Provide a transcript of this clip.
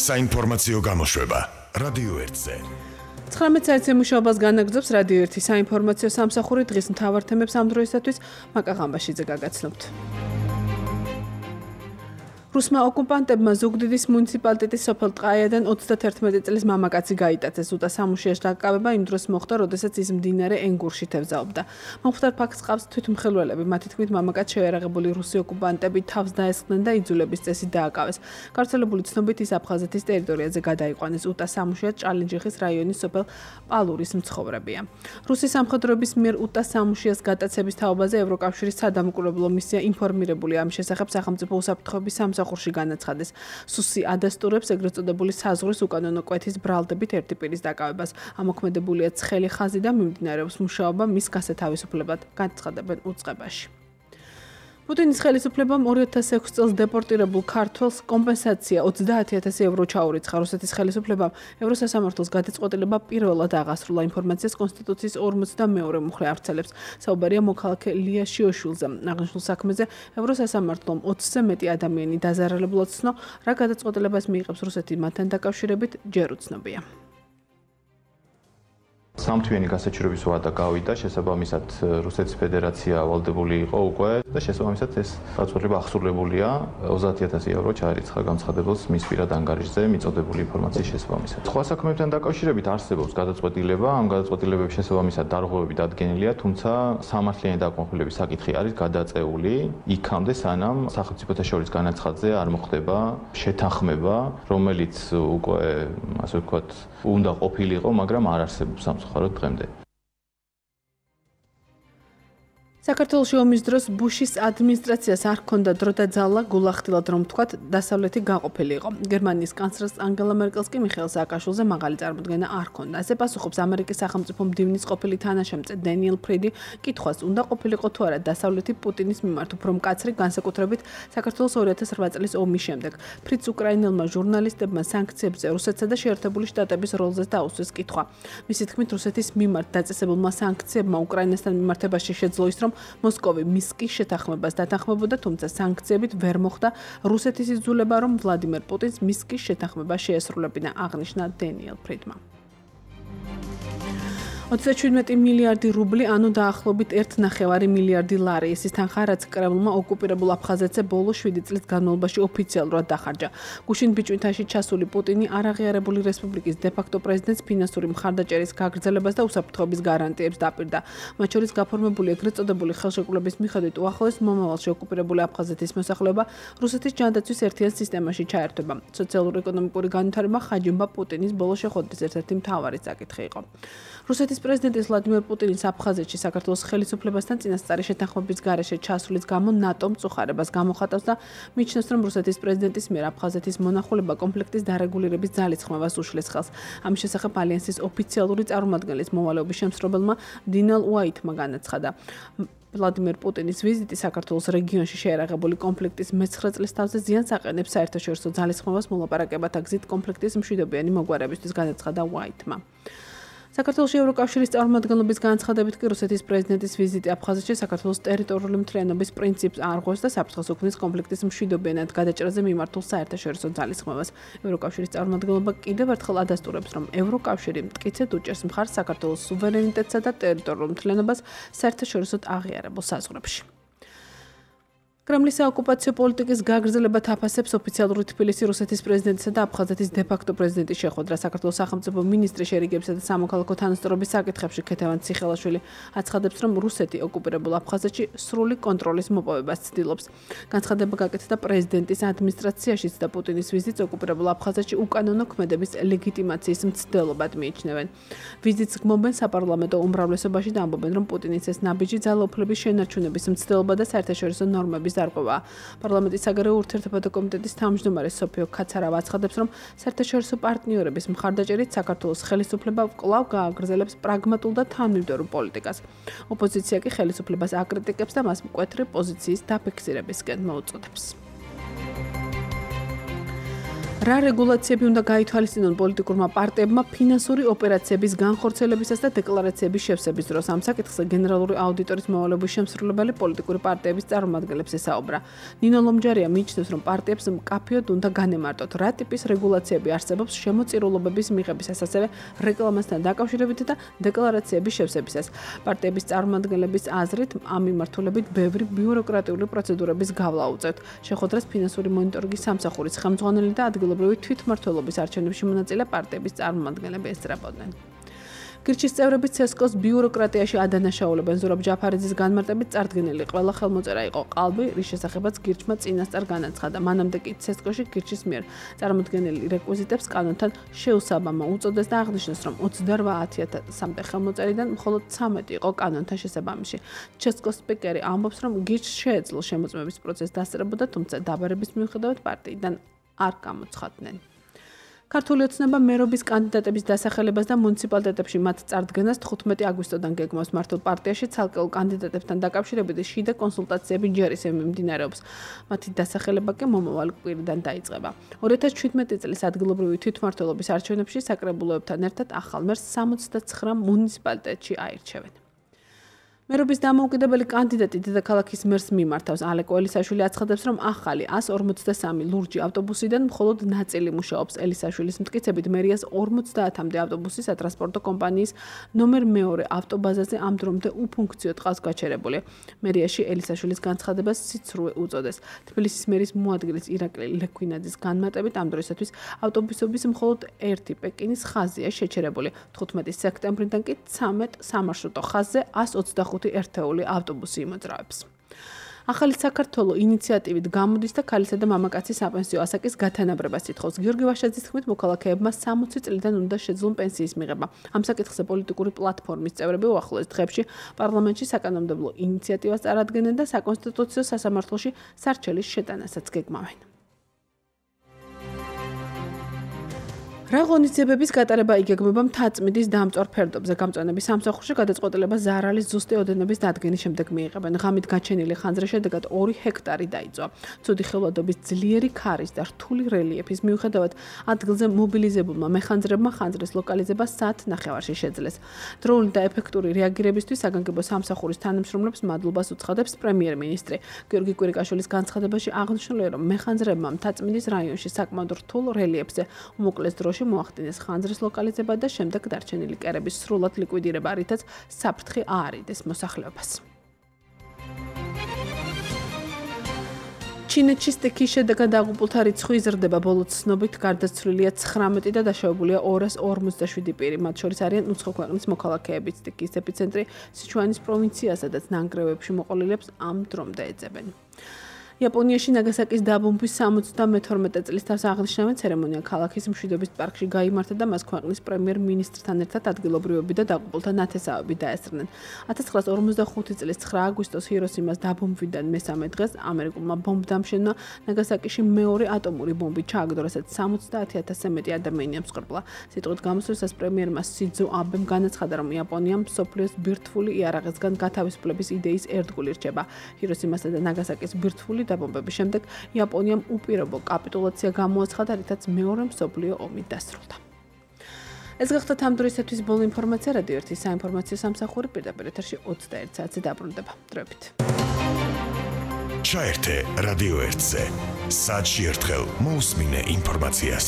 საინფორმაციო გამოშვება რადიო 1-ზე. 19 საათზე მუშაობას განაგრძობს რადიო 1 საინფორმაციო სამსახური. დღის მთავარ თემებს ამ დროისათვის მაკა ღამბაშიძე გაგაცნობთ. რუსმა ოკუპანტებმა ზუგდიდის მუნიციპალიტეტის სოფელ ტყაიადან 31 წლის მამაკაცი გაიტაცეს. უტა სამუშიას დაკავება იმ დროს მოხდა, როდესაც ის მდინარე ენგურში თევზაობდა. მომხდარ ფაქტს ყავს თვითმხილველები. მათი თქმით, მამაკაც შეერაღებული რუსი ოკუპანტები თავს დაესხნენ და იძულების წესით დააკავეს. გავრცელებული ცნობით ის აფხაზეთის ტერიტორიაზე გადაიყვანეს. უტა სამუშია ჭალინჯიხის რაიონის სოფელ პალურის მცხოვრებია. რუსი სამხედროების მიერ უტა სამუშიას გატაცების თაობაზე ევროკავშირის სადამკვირვებლო მისია ინფორმირებულია. ამ შესახებ სახელმწიფო უსაფრთხოების სამსახურში განაცხადეს. სუსი ადასტურებს ეგრეთ წოდებული საზღვრის უკანონო კვეთის ბრალდებით ერთი პირის დაკავებას. ამოქმედებულია ცხელი ხაზი და მიმდინარეობს მუშაობა მის გასათავისუფლებად, განაცხადებენ უწყებაში. პუტინის ხელისუფლებამ 2006 წელს დეპორტირებულ ქართველს კომპენსაცია 30,000 ევრო ჩაურიცხა. რუსეთის ხელისუფლებამ ევროსასამართლოს გადაწყვეტილება პირველად აღასრულა. ინფორმაციას კონსტიტუციის 42 მუხლე ავრცელებს. საუბარია მოქალაქე ლია შიოშვილზე. აღნიშნულ საქმეზე ევროსასამართლომ 20-ზე მეტი ადამიანი დაზარალებულად ცნო, რა გადაწყვეტილებას მიიღებს რუსეთი მათთან დაკავშირებით, ჯერ უცნობია. სამთვიანი გასაჩივრების ვადა გავიდა, შესაბამისად რუსეთის ფედერაცია ვალდებული იყო უკვე და შესაბამისად ეს გადაწყვეტილება აღსრულებულია 30,000 ევრო ჩაერიცხა განცხადებელს მის პირად ანგარიშზე მიწოდებული ინფორმაციის შესაბამისად. სხვა საქმეებთან დაკავშირებით არსებობს გადაწყვეტილება, ამ გადაწყვეტილებების შესაბამისად დარღვევები დადგენილია, თუმცა სამართლიანი დაკმაყოფილების საკითხი არის გადაწეული იქამდე, სანამ სახელმწიფოთა შორის განაცხადზე არ მოხდება შეთანხმება, რომელიც უკვე ასე ვთქვათ, უნდა ყოფილიყო, მაგრამ არ არსებობს მხაროდ დღემდე. საქართველოში ომის დროს ბუშის ადმინისტრაციას არ ჰქონდა დრო და ძალა გულახდილად რომ თქვათ დასავლეთი გაყოფილი იყო. გერმანიის კანცლერს ანგელა მერკელს კი მიხეილ სააკაშვილზე მაღალი წარმოდგენა არ ჰქონდა. ასე პასუხობს ამერიკის სახელმწიფო მდივნის ყოფილი თანაშემწე დენიელ ფრიდი კითხვას, უნდა ყოფილიყო თუ არა დასავლეთი პუტინის მიმართ უფრო მკაცრი, განსაკუთრებით საქართველოს 2008 წლის ომის შემდეგ. ფრიდს უკრაინელმა ჟურნალისტებმა სანქციებზე რუსეთსა და შეერთებული შტატების როლზე დაუსვეს კითხვა. მისი თქმით, რუსეთის მიმართ დაწესებულმა სანქციებმა უკრაინასთან მიმართებაში შეძლო ის, რომ მოსკოვი მისკის შეთანხმებას დათანხმებოდა, თუმცა სანქციებით ვერ მოხდა რუსეთის იძულება, რომ ვლადიმერ პუტინს მისკის შეთანხმება შეესრულებინა, აღნიშნა დენიელ ფრიდმა. 37 მილიარდი რუბლი, ანუ დაახლოებით 1,9 მილიარდი ლარი. ეს ის თანხა, რაც კრემლმა ოკუპირებულ აფხაზეთზე ბოლო 7 წლის განმავლობაში ოფიციალურად დახარჯა. გუშინ ბიჭვინთაში ჩასული პუტინი არაღიარებული რესპუბლიკის დე-ფაქტო პრეზიდენტს ფინანსური მხარდაჭერის გაგრძელებას და უსაფრთხოების გარანტიებს დაპირდა. მათ შორის გაფორმებული ეგრეთ წოდებული ხელშეკრულების მიხედვით უახლოეს მომავალში ოკუპირებული აფხაზეთის მოსახლეობა რუსეთის ჯანდაცვის ერთიან სისტემაში ჩაერთვება. სოციალურ-ეკონომიკური განვითარება ხაჯიმბა პუტინის ბოლო შეხვედრის ერთ-ერთი მთავარი საკითხი იყო. რუსეთის პრეზიდენტის ვლადიმერ პუტინის აფხაზეთში საქართველოს ხელისუფლებასთან წინასწარი შეთანხმების გარეშე ჩასulis გამო ნატომ წუხარებას გამოხატავს და მიიჩნევს, რომ რუსეთის პრეზიდენტის მიერ აფხაზეთის მონახულება კონფლიქტის დარეგულირების ძალისხმევას უშლის ხელს. ამის შესახებ ალიანსის ოფიციალური წარმომადგენლის მოვალეობის შემსრულებელმა დინალ უაიტმა განაცხადა. ვლადიმერ პუტინის ვიზიტი საქართველოს რეგიონში შეერაღებული კონფლიქტის მე-9 წლის თავზე ზიანს აყენებს საერთაშორისო ძალისხმევას მოლაპარაკებათა გზით კონფლიქტის მშვიდობიანი მოგვარებისთვის, განაცხადა უაიტმა. საქართველოში ევროკავშირის წარმომადგენლობის განცხადებით კი რუსეთის პრეზიდენტის ვიზიტი აფხაზეთში საქართველოს ტერიტორიული მთლიანობის პრინციპს არღვევს და საფრთხეს უქმნის კონფლიქტის მშვიდობიანად გადაჭრაზე მიმართულ საერთაშორისო ძალისხმევას. ევროკავშირის წარმომადგენლობა კიდევ ერთხელ ადასტურებს, რომ ევროკავშირი მტკიცედ უჭერს მხარს საქართველოს სუვერენიტეტსა და ტერიტორიულ მთლიანობას საერთაშორისოდ აღიარებულ საზღვრებში. კრემლის საოკუპაციო პოლიტიკის გაგრძელებად აფასებს ოფიციალური თბილისი რუსეთის პრეზიდენტისა და აფხაზეთის დე-ფაქტო პრეზიდენტის შეხვედრა. საქართველოს სახელმწიფო მინისტრი შერიგებისა და სამოქალაქო თანასწორობის საკითხებში ქეთევან ციხელაშვილი აცხადებს, რომ რუსეთი ოკუპირებულ აფხაზეთში სრული კონტროლის მოპოვებას ცდილობს. განცხადება გაკეთდა პრეზიდენტის ადმინისტრაციაშიც და პუტინის ვიზიტს ოკუპირებულ აფხაზეთში უკანონო ქმედების ლეგიტიმაციის მცდელობად მიიჩნევენ. ვიზიტს გმობენ საპარლამენტო უმრავლესობაში და ამბობენ, რომ პუტინის ეს ნაბიჯი ძალაუფლების შენარჩუნების მცდელობა და საერთაშორისო ნორმების დარღვევა. პარლამენტის საგარეო ურთიერთობათა კომიტეტის თავმჯდომარე სოფიო ქაცარავა აცხადებს, რომ საერთაშორისო პარტნიორების მხარდაჭერით საქართველოს ხელისუფლება კვლავ გააგრძელებს პრაგმატულ და თანმიმდევრულ პოლიტიკას. ოპოზიცია კი ხელისუფლებას აკრიტიკებს და მას მკვეთრი პოზიციის დაფიქსირებისკენ მოუწოდებს. რა რეგულაციები უნდა გაითვალისწინონ პოლიტიკურმა პარტიებმა ფინანსური ოპერაციების განხორციელებისას და დეკლარაციების შევსების დროს? ამ საკითხზე გენერალური აუდიტორის მოვალეობის შემსრულებელი პოლიტიკური პარტიების წარმომადგენლებს ესაუბრა. ნინო ლომჯარია მიიჩნევს, რომ პარტიებს მკაფიოდ უნდა განემარტოთ, რა ტიპის რეგულაციები არსებობს შემოწირულობების მიღებისას, ასევე რეკლამასთან დაკავშირებით და დეკლარაციების შევსებისას. პარტიების წარმომადგენლების აზრით, ამ მიმართულებით ბევრი ბიუროკრატიული პროცედურების გავლა უწევთ. შეხვედრას ფინანსური მონიტორინგის სამსახურის ხელმძღვანელი და ადგილობრივი თვითმმართველობის არჩევნებში მონაწილე პარტიების წარმომადგენლები ესწრებოდნენ. გირჩის წევრები ცესკოს ბიუროკრატიაში ადანაშაულებენ. ზურაბ ჯაფარიძის განმარტებით წარდგენილი ყველა ხელმოწერა იყო ყალბი, რის შესახებაც გირჩმა წინასწარ განაცხადა. მანამდე კი ცესკოში გირჩის მიერ წარმოდგენილი რეკვიზიტებს კანონთან შეუსაბამა უწოდეს და აღნიშნეს, რომ 28,000-მდე ხელმოწერიდან მხოლოდ 13 იყო კანონთან შესაბამისი. ცესკოს სპიკერი ამბობს, რომ გირჩს შეეძლო შემოწმების პროცესი დასწრებოდა, თუმცა დაბარების მიუხედავად პარტიიდან არ გამოცხადდნენ. ქართული ოცნება მერობის კანდიდატების დასახელებას და მუნიციპალიტეტებში მათ წარდგენას 15 აგვისტოდან გეგმავს. მართლ პარტიაში ცალკეულ კანდიდატებთან დაკავშირებით შიდა კონსულტაციები ჯერ ისევ მიმდინარეობს. მათი დასახელება კი მომავალ კვირიდან დაიწყება. 2017 წლის ადგილობრივი თვითმმართველობის არჩევნებში საკრებულოებთან ერთად ახალ მერს 69 მუნიციპალიტეტში აირჩევენ. მერობის დამოუკიდებელი კანდიდატი დედაქალაქის მერს მიმართავს. ალეკო ელისაშვილი აცხადებს, რომ ახალი 143 ლურჯი ავტობუსიდან მხოლოდ ნაწილი მუშაობს. ელისაშვილის მტკიცებით, მერიას 50-მდე ავტობუსი სატრანსპორტო კომპანიის ნომერ 2 ავტობაზაზე ამ დრომდე უფუნქციო ტყავს გაჩერებული. მერიაში ელისაშვილის განცხადებას სიცრუე უწოდეს. თბილისის მერის მოადგილის ირაკლი ლექვინაძის განმარტებით, ამ დროისათვის ავტობუსების მხოლოდ ერთი პეკინის ხაზია შეჩერებული. 15 სექტემბრიდან კი 13 სამარშრუტო ხაზზე 125 ერთეული ავტობუსი იმოძრავებს. ახალი საქართველო ინიციატივით გამოდის და ქალისა და მამაკაცის საპენსიო ასაკის გათანაბრებას ითხოვს. გიორგი ვაშაძის თქმით, მოქალაქეებმა 60 წლიდან უნდა შეძლონ პენსიის მიღება. ამ საკითხზე პოლიტიკური პლატფორმის წევრები უახლოეს დღეებში პარლამენტში საკანონმდებლო ინიციატივას წარადგენენ და საკონსტიტუციო სასამართლოში სარჩელის შეტანასაც გეგმავენ. რა ღონისძიებების გატარება იგეგმება მთაწმინდის დამწვარ ფერდობზე. გამწვანების სამსახურში გადაწყვეტილება ზარალის ზუსტი ოდენობის დადგენის შემდეგ მიიღებენ. ღამით გაჩენილი ხანძრის შედეგად 2 ჰექტარი დაიწვა. ცუდი ხილვადობის ძლიერი ქარის და რთული რელიეფის მიუხედავად ადგილზე მობილიზებულმა მეხანძრებმა ხანძრის ლოკალიზება საათნახევარში შეძლეს. დროული და ეფექტური რეაგირებისთვის საგანგებო სამსახურის თანამშრომლებს მადლობას უცხადებს პრემიერ-მინისტრი. გიორგი კვირიკაშვილის განცხადებაში აღნიშნულია, რომ მეხანძრებმა მთაწმინდის რაიონში საკმაოდ რთულ რელიეფზე უმოკლეს დროში მოახდინეს ხანძრის ლოკალიზება და შემდეგ დარჩენილი კერების სრულად ლიკვიდირება, რითაც საფრთხე აარიდეს მოსახლეობას. ჩინეთში სტიქის შედეგად დაღუპულთა რიცხვი იზრდება. ბოლო ცნობით გარდაცვლილია 19 და დაშავებულია 257 პირი. მათ შორის არიან უცხო ქვეყნის მოქალაქეები. სტიქის ეპიცენტრი სიჩუანის პროვინცია, სადაც ნანგრევებში მოყოლილებს ამ დრომდე ეძებენ. იაპონიაში ნაგასაკის დაბომბვის 72 წლის თავს აღნიშნავენ ცერემონია ქალაქის მშვიდობის პარკში გაიმართა და მას ქვეყნის პრემიერ-მინისტრთან ერთად ადგილობრივები და დაღუპულთა ნათესავები დაესწრნენ. 1945 წლის 9 აგვისტოს ჰიროსიმას დაბომბვიდან მესამე დღეს ამერიკულმა ბომბდამშენმა ნაგასაკიში მეორე ატომური ბომბი ჩააგდო, რასაც 70,000-ზე მეტი ადამიანი ამსხვერპლა. სიტყვით გამოსვლისას პრემიერმა სიძო აბემ განაცხადა, რომ იაპონიამ მსოფლიოს ბირთვული იარაღისგან გათავისუფლების იდეის ერთგული რჩება. ჰიროსიმასა და ნაგასაკის ბირთვული დაბომბების შემდეგ იაპონიამ უპირობო კაპიტულაცია გამოაცხადა, რითაც მეორე მსოფლიო ომი დასრულდა. ეს გახდა ამ დროისათვის ბოლო ინფორმაცია. რადიო 1-ის საინფორმაციო სამსახური პირდაპირ ეთერში 21 საათზე დაბრუნდება. დროებით. ჩაერთე რადიო 1-ზე. საათში ერთხელ მოусმინე ინფორმაციას.